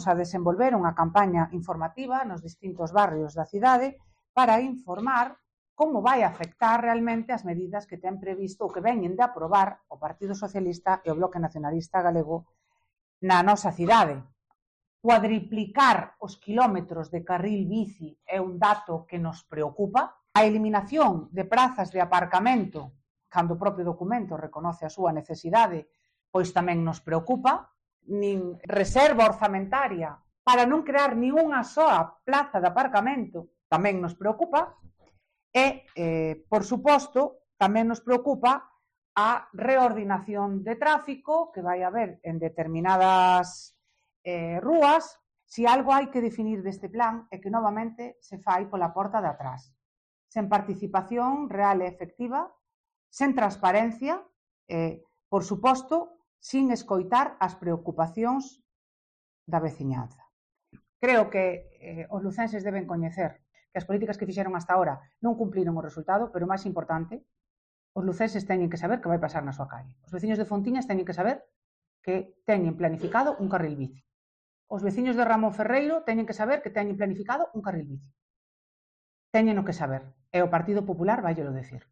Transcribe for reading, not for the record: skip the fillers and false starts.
estamos a desenvolver unha campaña informativa nos distintos barrios da cidade para informar como vai afectar realmente as medidas que ten previsto ou que veñen de aprobar o Partido Socialista e o Bloque Nacionalista Galego na nosa cidade. Cuadriplicar os quilómetros de carril bici é un dato que nos preocupa. A eliminación de prazas de aparcamento, cando o propio documento reconoce a súa necesidade, pois tamén nos preocupa. Nin reserva orzamentaria para non crear nin unha soa plaza de aparcamento tamén nos preocupa. E, por suposto, tamén nos preocupa a reordinación de tráfico que vai haber en determinadas rúas. Si algo hai que definir deste plan é que novamente se fai pola porta de atrás, sen participación real e efectiva, sen transparencia, por suposto, sin escoitar as preocupacións da veciñanza. Creo que os lucenses deben coñecer que as políticas que fixeron hasta ahora non cumpliron o resultado, pero o máis importante, os lucenses teñen que saber que vai pasar na súa calle. Os veciños de Fontiñas teñen que saber que teñen planificado un carril bici. Os veciños de Ramón Ferreiro teñen que saber que teñen planificado un carril bici. Teñen o que saber, e o Partido Popular vai lo decir.